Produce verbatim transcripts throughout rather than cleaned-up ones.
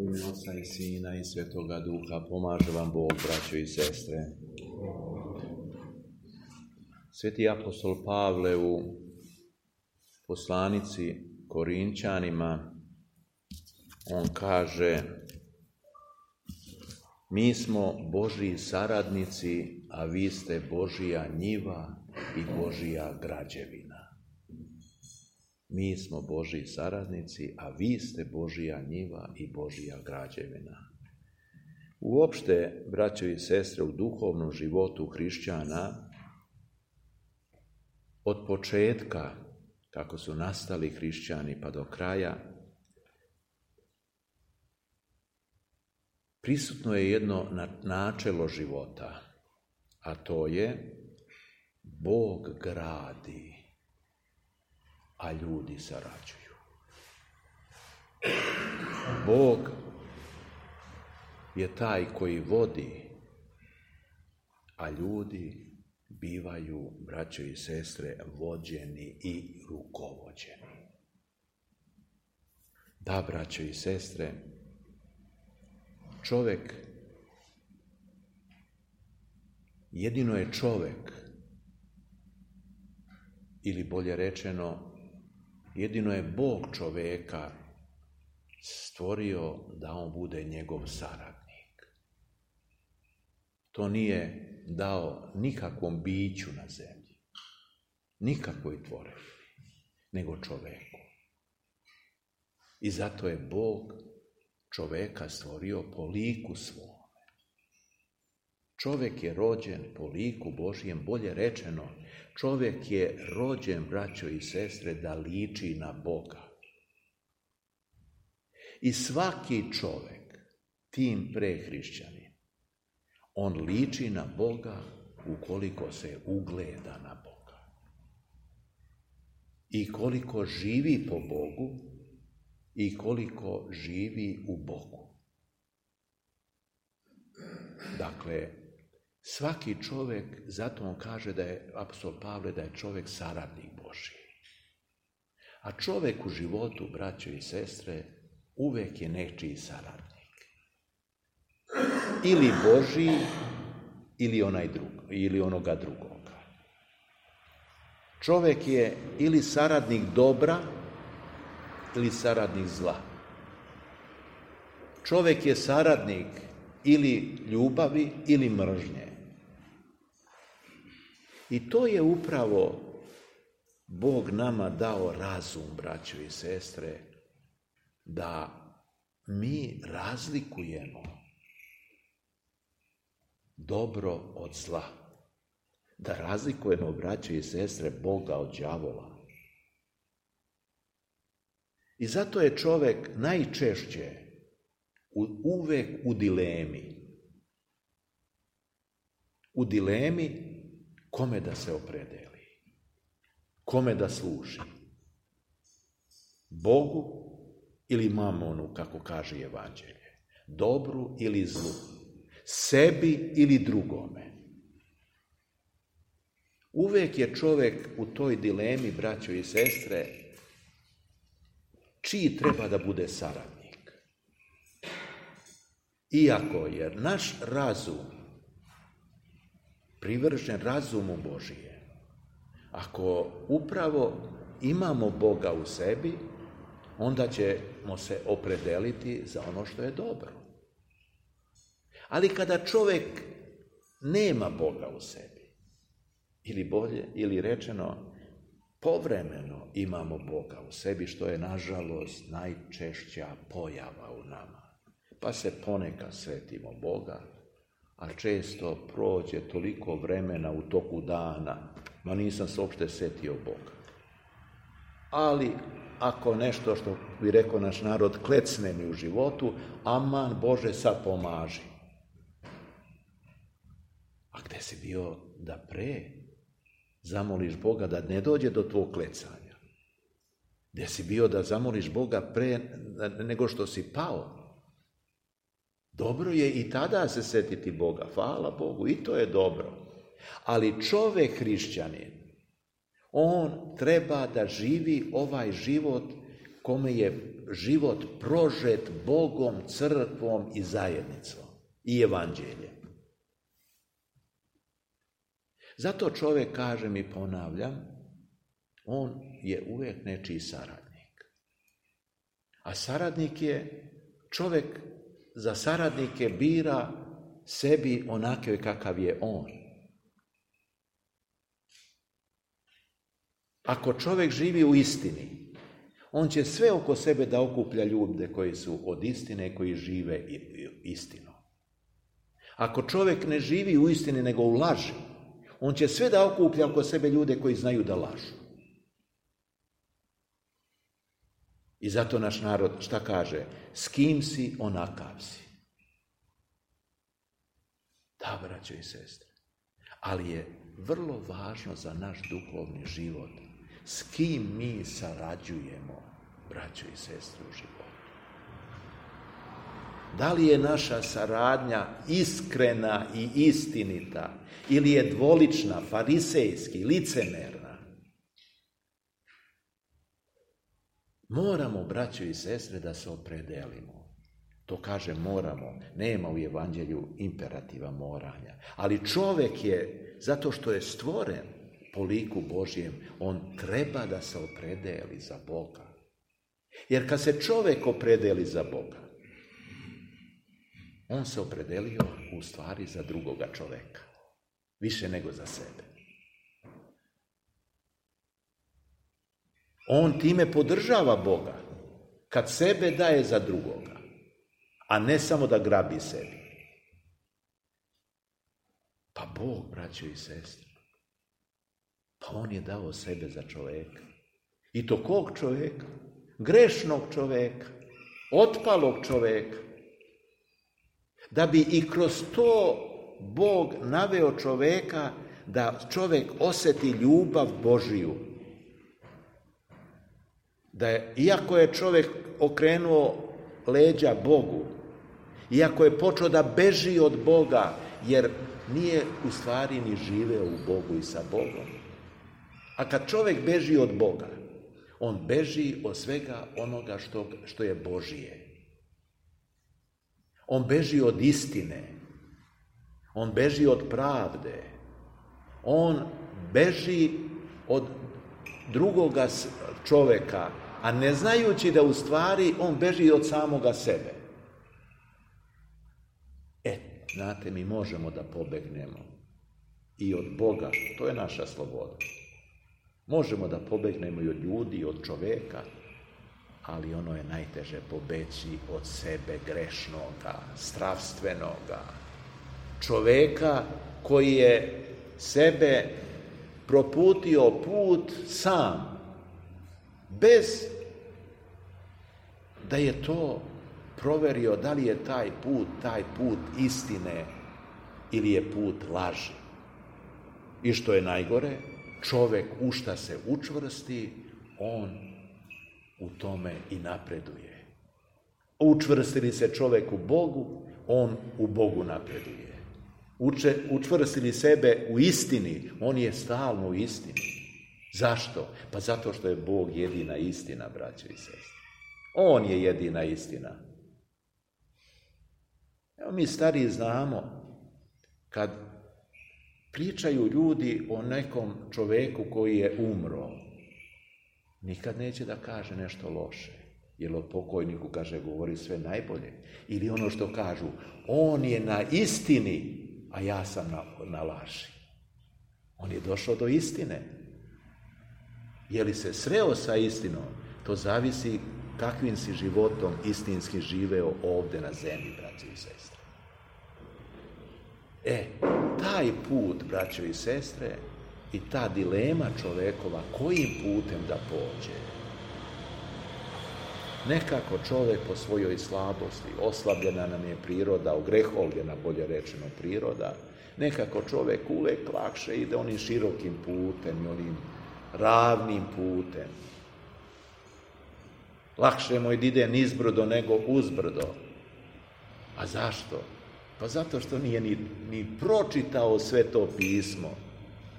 U ime Oca i Sina i Svetoga Duha pomaže vam Bog, braćo i sestre. Sveti apostol Pavle u poslanici Korinčanima, on kaže: mi smo Božji saradnici, a vi ste Božja njiva i Božja građevina. Mi smo Božji saradnici, a vi ste Božja njiva i Božja građevina. Uopšte, braćo i sestre, u duhovnom životu hrišćana, od početka, kako su nastali hrišćani, pa do kraja, prisutno je jedno načelo života, a to je: Bog gradi, a ljudi sarađuju. Bog je taj koji vodi, a ljudi bivaju, braćo i sestre, vođeni i rukovođeni. Da, braćo i sestre, čovjek, jedino je čovjek, ili bolje rečeno, jedino je Bog čovjeka stvorio da on bude njegov saradnik. To nije dao nikakvom biću na zemlji, nikakvoj tvorevini, nego čovjeku. I zato je Bog čovjeka stvorio po liku svome. Čovjek je rođen po liku Božjem, bolje rečeno, čovjek je rođen, braćo i sestre, da liči na Boga. I svaki čovjek, tim pre hrišćanin, on liči na Boga ukoliko se ugleda na Boga. I koliko živi po Bogu i koliko živi u Bogu. Dakle, svaki čovjek, zato on kaže da je, apostol Pavle, da je čovjek saradnik Božji. A čovjek u životu, braćo i sestre, uvijek je nečiji saradnik. Ili Božji, ili onaj drugo, ili onoga drugoga. Čovjek je ili saradnik dobra, ili saradnik zla. Čovjek je saradnik ili ljubavi, ili mržnje. I to je upravo Bog nama dao razum, braćo i sestre, da mi razlikujemo dobro od zla. Da razlikujemo, braćo i sestre, Boga od đavola. I zato je čovjek najčešće uvek u dilemi. U dilemi kome da se opredeli, kome da služi. Bogu ili mamonu, kako kaže Evanđelje. Dobru ili zlu. Sebi ili drugome. Uvek je čovjek u toj dilemi, braćo i sestre, čiji treba da bude saradnik. Iako je naš razum privržen razumu Božije, ako upravo imamo Boga u sebi, onda ćemo se opredeliti za ono što je dobro. Ali kada čovjek nema Boga u sebi, ili bolje, ili rečeno, povremeno imamo Boga u sebi, što je, nažalost, najčešća pojava u nama. Pa se ponekad svetimo Boga, a često prođe toliko vremena u toku dana, ma nisam se uopšte setio Boga. Ali ako nešto, što bi rekao naš narod, klecne mi u životu, aman Bože, sad pomaži. A gde si bio da pre zamoliš Boga da ne dođe do tvog klecanja? Gde si bio da zamoliš Boga pre nego što si pao? Dobro je i tada se setiti Boga, hvala Bogu, i to je dobro. Ali čovjek hrišćanin, on treba da živi ovaj život kome je život prožet Bogom, crkvom i zajednicom i evanđeljem. Zato čovjek, kažem i ponavljam, on je uvijek nečiji saradnik. A saradnik je, čovjek za saradnike bira sebi onakve kakav je on. Ako čovjek živi u istini, on će sve oko sebe da okuplja ljude koji su od istine, koji žive istinom. Ako čovjek ne živi u istini, nego u laži, on će sve da okuplja oko sebe ljude koji znaju da lažu. I zato naš narod šta kaže? S kim si, onakav si. Da, braćo i sestre. Ali je vrlo važno za naš duhovni život s kim mi sarađujemo, braćo i sestre, u životu. Da li je naša saradnja iskrena i istinita ili je dvolična, farisejski, licemerna? Moramo, braćo i sestre, da se opredelimo. To kaže moramo, nema u evanđelju imperativa moranja. Ali čovjek je, zato što je stvoren po liku Božjem, on treba da se opredeli za Boga. Jer kad se čovjek opredeli za Boga, on se opredelio u stvari za drugoga čovjeka, više nego za sebe. On time podržava Boga, kad sebe daje za drugoga, a ne samo da grabi sebi. Pa Bog, braćo i sestre, pa on je dao sebe za čovjeka. I to kog čovjeka? Grešnog čovjeka, otpalog čovjeka. Da bi i kroz to Bog naveo čovjeka da čovjek osjeti ljubav Božiju. Da je, iako je čovjek okrenuo leđa Bogu, iako je počeo da beži od Boga, jer nije u stvari ni živeo u Bogu i sa Bogom. A kad čovjek beži od Boga, on beži od svega onoga što, što je Božije. On beži od istine. On beži od pravde. On beži od drugoga čovjeka, a ne znajući da u stvari on beži od samoga sebe. E, znate, mi možemo da pobegnemo i od Boga, to je naša sloboda. Možemo da pobegnemo i od ljudi, i od čovjeka, ali ono je najteže pobeći od sebe grešnoga, strastvenoga, čovjeka koji je sebe proputio put sam, bez da je to proverio da li je taj put, taj put istine ili je put laži. I što je najgore, čovjek u šta se učvrsti, on u tome i napreduje. Učvrsti li se čovjek u Bogu, on u Bogu napreduje. Uče, učvrsti li sebe u istini, on je stalno u istini. Zašto? Pa zato što je Bog jedina istina, braćo i sestre. On je jedina istina. Evo mi stariji znamo, kad pričaju ljudi o nekom čovjeku koji je umro, nikad neće da kaže nešto loše. Jer o pokojniku, kaže, govori sve najbolje. Ili ono što kažu, on je na istini, a ja sam na, na laži. On je došao do istine. Je li se sreo sa istinom, to zavisi kakvim si životom istinski živeo ovdje na zemlji, braćo i sestre. E, taj put, braćo i sestre, i ta dilema čovjekova, kojim putem da pođe. Nekako čovjek po svojoj slabosti, oslabljena nam je priroda, ogrehovljena, bolje rečeno, priroda, nekako čovjek uvijek lakše ide onim širokim putem i onim ravnim putem. Lakše mu ide nizbrdo nego uzbrdo. A zašto? Pa zato što nije ni, ni pročitao sve to pismo.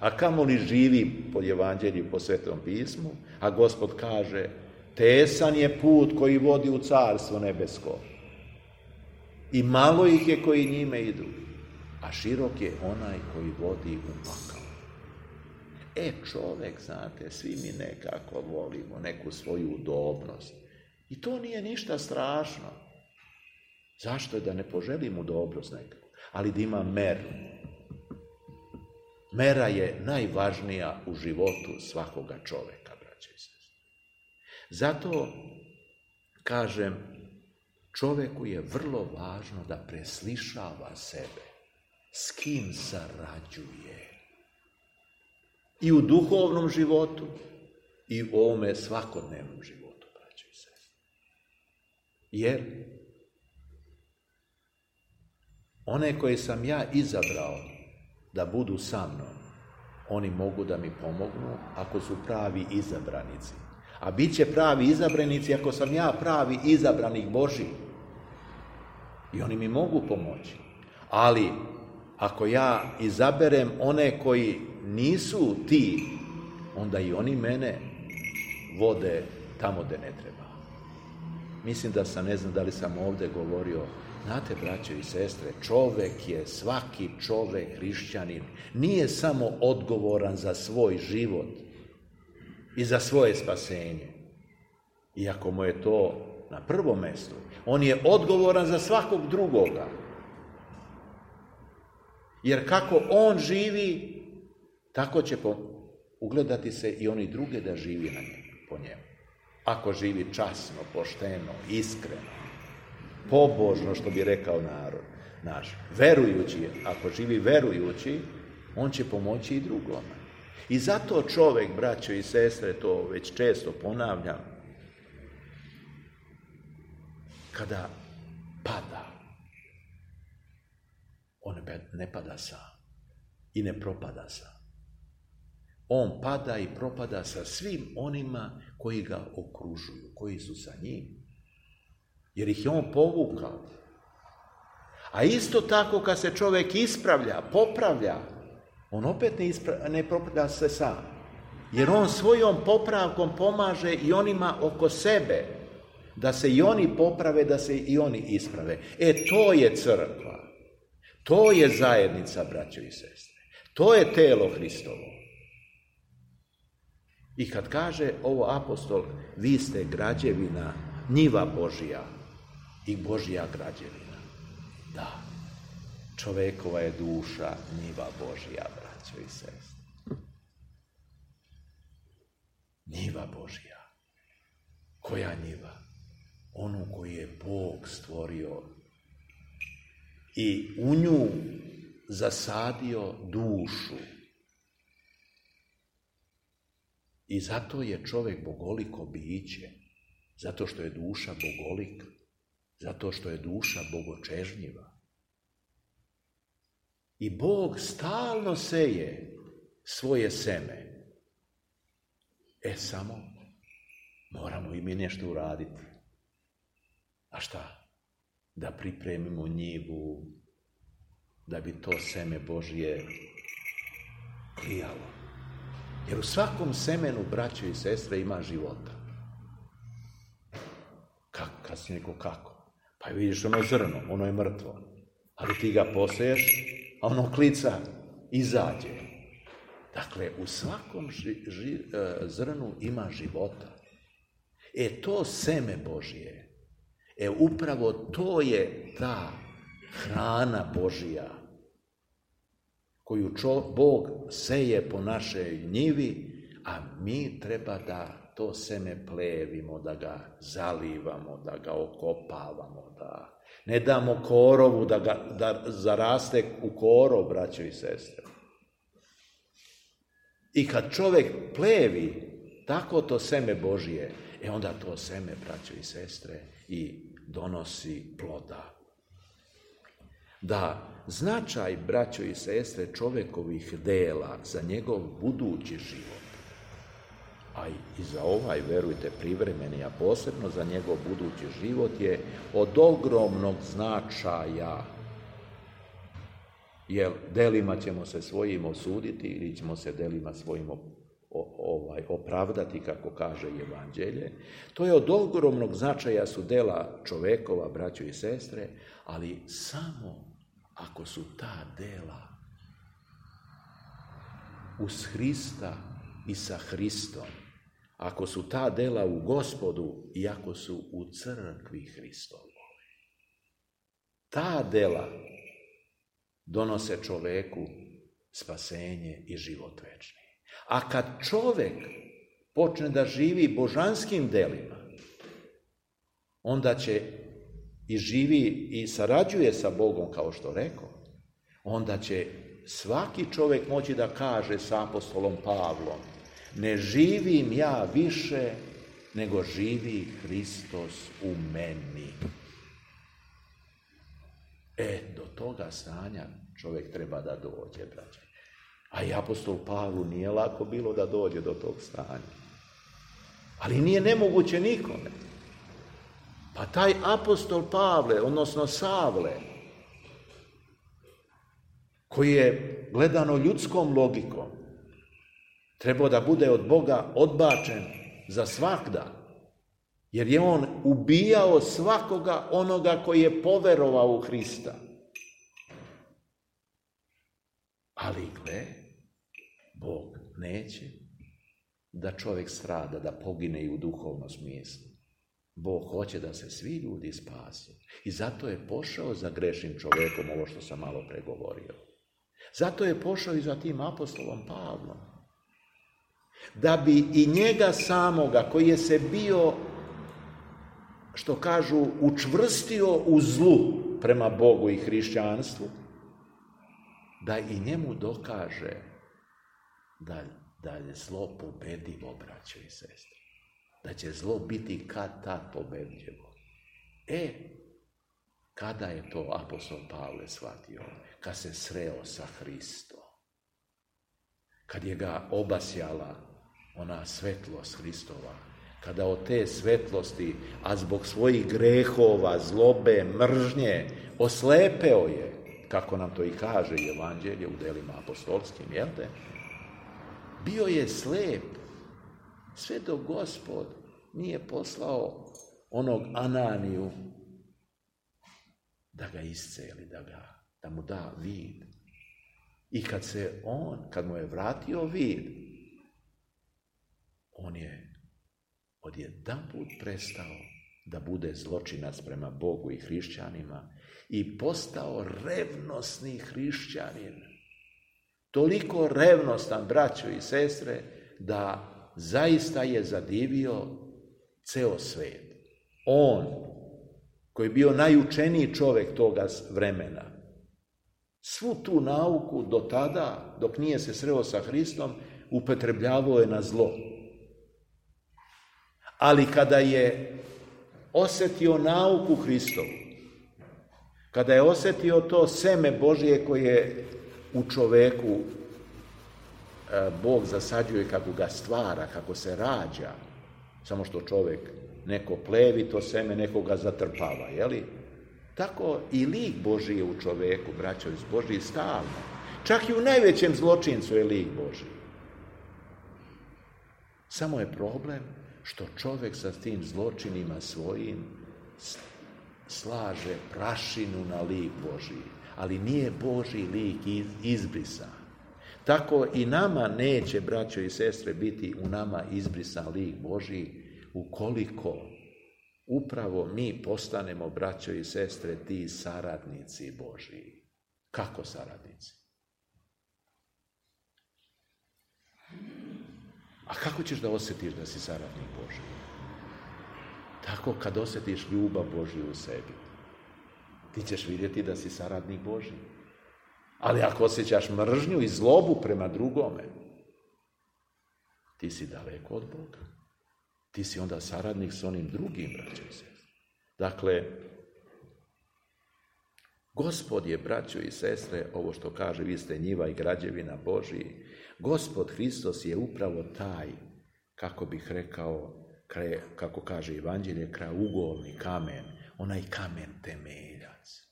A kamoli živi po evanđelju, po svetom pismu, a Gospod kaže, Tesan je put koji vodi u carstvo nebesko. I malo ih je koji njime idu. A širok je onaj koji vodi u pakao. E, čovjek, znate, svi mi nekako volimo neku svoju udobnost. I to nije ništa strašno. Zašto je da ne poželim udobnost nekako? Ali da ima meru. Mera je najvažnija u životu svakoga čovjeka, braće i sestre. Zato, kažem, čovjeku je vrlo važno da preslišava sebe. S kim sarađuje. I u duhovnom životu, i u ovome svakodnevnom životu, braće i sestre. Jer one koje sam ja izabrao da budu sa mnom, oni mogu da mi pomognu ako su pravi izabranici. A bit će pravi izabranici ako sam ja pravi izabranik Božji. I oni mi mogu pomoći. Ali ako ja izaberem one koji nisu ti, onda i oni mene vode tamo gde ne treba. Mislim da sam, ne znam da li sam ovdje govorio, znate, braćo i sestre, čovjek je, svaki čovjek, hrišćanin, nije samo odgovoran za svoj život i za svoje spasenje. Iako mu je to na prvom mjestu, on je odgovoran za svakog drugoga. Jer kako on živi, tako će ugledati se i oni druge da živi na njemu, po njemu. Ako živi časno, pošteno, iskreno, pobožno, što bi rekao narod naš, verujući, ako živi verujući, on će pomoći i drugome. I zato čovjek, braćo i sestre, to već često ponavljam, kada pada, on ne pada sam i ne propada sam. On pada i propada sa svim onima koji ga okružuju, koji su sa njim. Jer ih je on povukao. A isto tako kad se čovjek ispravlja, popravlja, on opet ne, ispra- ne popravlja se sam. Jer on svojom popravkom pomaže i onima oko sebe, da se i oni poprave, da se i oni isprave. E, to je crkva. To je zajednica, braćo i sestre. To je telo Hristovo. I kad kaže ovo apostol, vi ste građevina, njiva Božja i Božja građevina. Da, čovjekova je duša njiva Božja, braćo i sestre. Njiva Božja. Koja njiva? Onu koju je Bog stvorio i u nju zasadio dušu. I zato je čovjek bogoliko biće, zato što je duša bogolik, zato što je duša bogočežnjiva. I Bog stalno seje svoje seme. E, samo moramo i mi nešto uraditi. A šta? Da pripremimo njivu, da bi to seme Božje klijalo. Jer u svakom semenu, braćo i sestre, ima života. Kako? Kad si neko kako? Pa vidiš ono zrno, ono je mrtvo. Ali ti ga poseješ, a ono klica, izađe. Dakle, u svakom ži, ži, zrnu ima života. E, to seme Božje, e, upravo to je ta hrana Božja, koju čo, Bog seje po našoj njivi, a mi treba da to seme plevimo, da ga zalivamo, da ga okopavamo, da ne damo korovu da, ga, da zaraste u korov, braćo i sestre. I kad čovjek plevi tako to seme Božje, e onda to seme, braćo i sestre, i donosi ploda. Da značaj, braćo i sestre, čovjekovih dela za njegov budući život, a i za ovaj, verujte, privremeni, a posebno za njegov budući život, je od ogromnog značaja. Jer delima ćemo se svojim osuditi ili ćemo se delima svojim ovaj, opravdati, kako kaže Evanđelje. To je od ogromnog značaja su dela čovekova, braćo i sestre, ali samo ako su ta dela uz Hrista i sa Hristom, ako su ta dela u Gospodu i ako su u crkvi Hristovoj. Ta dela donose čoveku spasenje i život večni. A kad čovek počne da živi božanskim delima, onda će i živi i sarađuje sa Bogom, kao što rekao, onda će svaki čovek moći da kaže sa apostolom Pavlom: ne živim ja više, nego živi Hristos u meni. E, do toga stanja čovjek treba da dođe, braće. A i apostol Pavlu nije lako bilo da dođe do tog stanja. Ali nije nemoguće nikome. Pa taj apostol Pavle, odnosno Savle, koji je gledano ljudskom logikom trebao da bude od Boga odbačen za svagda, jer je on ubijao svakoga onoga koji je poverovao u Hrista. Ali gle, Bog neće da čovjek strada, da pogine i u duhovnom smislu. Bog hoće da se svi ljudi spasu. I zato je pošao za grešnim čovjekom, ovo što sam malo pregovorio. Zato je pošao i za tim apostolom Pavlom. Da bi i njega samoga, koji je se bio, što kažu, učvrstio u zlu prema Bogu i hrišćanstvu, da i njemu dokaže da, da je zlo pobedivo, braćo i sestre. Da će zlo biti kad tad pobedljivo. E, kada je to apostol Pavle shvatio? Kad se sreo sa Hristom. Kad je ga obasjala ona svetlost Hristova. Kada od te svetlosti, a zbog svojih grehova, zlobe, mržnje, oslepeo je, kako nam to i kaže Evanđelje u delima apostolskim, jel te? Bio je slep, sve dok Gospod nije poslao onog Ananiju da ga isceli, da, ga, da mu da vid. I kad se on, kad mu je vratio vid, on je odjedanput prestao da bude zločinac prema Bogu i hrišćanima i postao revnosni hrišćanin. Toliko revnostan, braćo i sestre, da zaista je zadivio ceo svet. On, koji je bio najučeniji čovjek toga vremena, svu tu nauku do tada, dok nije se sreo sa Hristom, upotrebljavao je na zlo. Ali kada je osjetio nauku Hristovu, kada je osjetio to seme Božije koje u čoveku Bog zasađuje, kako ga stvara, kako se rađa, samo što čovjek neko plevi to seme, neko ga zatrpava, jeli? Tako i lik Božiji je u čoveku, braćo iz Božiji, stalno. Čak i u najvećem zločincu je lik Božiji. Samo je problem što čovjek sa tim zločinima svojim slaže prašinu na lik Božiji, ali nije Božji lik izbrisan. Tako i nama neće, braćo i sestre, biti u nama izbrisan lik Božji, ukoliko upravo mi postanemo, braćo i sestre, ti saradnici Božji. Kako saradnici? A kako ćeš da osjetiš da si saradnik Božji? Tako kad osjetiš ljubav Božju u sebi. Ti ćeš vidjeti da si saradnik Božji. Ali ako osjećaš mržnju i zlobu prema drugome, ti si daleko od Boga. Ti si onda saradnik s onim drugim, braćo i sestre. Dakle, Gospod je, braćo i sestre, ovo što kaže, vi ste njiva i građevina Božji. Gospod Hristos je upravo taj, kako bih rekao, kraj, kako kaže Evanđelje, kraugolni kamen, onaj kamen temeljac.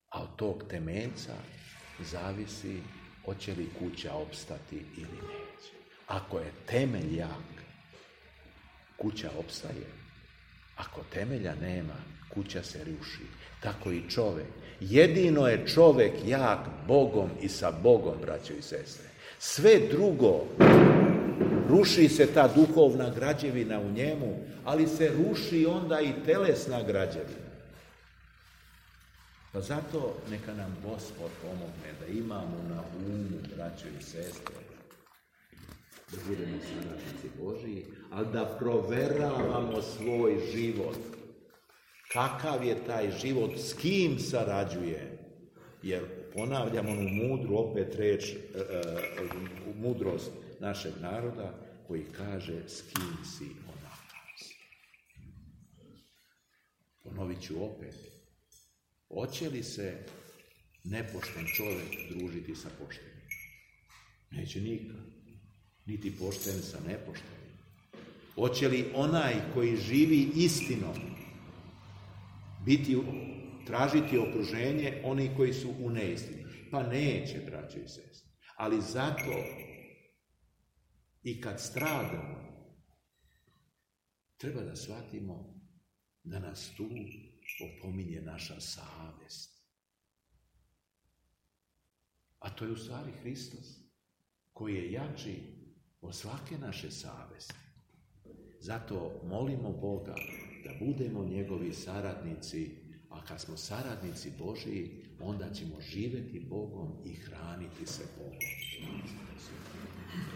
A od tog temeljca zavisi hoće li kuća opstati ili neće. Ako je temelj jak, kuća opstaje. Ako temelja nema, kuća se ruši. Tako i čovjek. Jedino je čovjek jak Bogom i sa Bogom, braćo i sestre. Sve drugo, ruši se ta duhovna građevina u njemu, ali se ruši onda i telesna građevina. Pa zato neka nam Gospod pomogne da imamo na umu, braćo i sestre, da budemo suradnici Božiji, ali da proveravamo svoj život. Kakav je taj život, s kim sarađuje? Jer ponavljam onu mudru, opet reč, e, e, mudrost našeg naroda koji kaže s kim si onakav si. Ponovit ću opet. Hoće li se nepošten čovjek družiti sa poštenim? Neće nikad. Niti pošten sa nepoštenim. Hoće li onaj koji živi istinom biti, tražiti okruženje oni koji su u neistini? Pa neće, braćo i sestre. Ali zato i kad stradamo, treba da shvatimo da nas tu opominje naša savjest. A to je u stvari Hristos, koji je jači od svake naše savjesti. Zato molimo Boga da budemo njegovi saradnici, a kad smo saradnici Božiji, onda ćemo živjeti Bogom i hraniti se Bogom.